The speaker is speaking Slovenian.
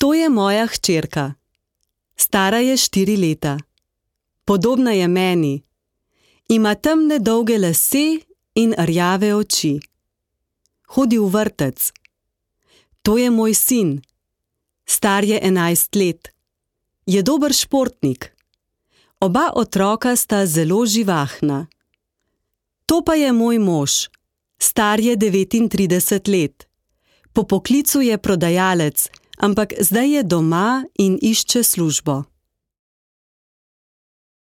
To je moja hčerka. Stara je 4 leta. Podobna je meni. Ima temne dolge lase in rjave oči. Hodi v vrtec. To je moj sin. Star je 11 let. Je dober športnik. Oba otroka sta zelo živahna. To pa je moj mož. Star je 39 let. Po poklicu je prodajalec, ampak zdaj je doma in išče službo.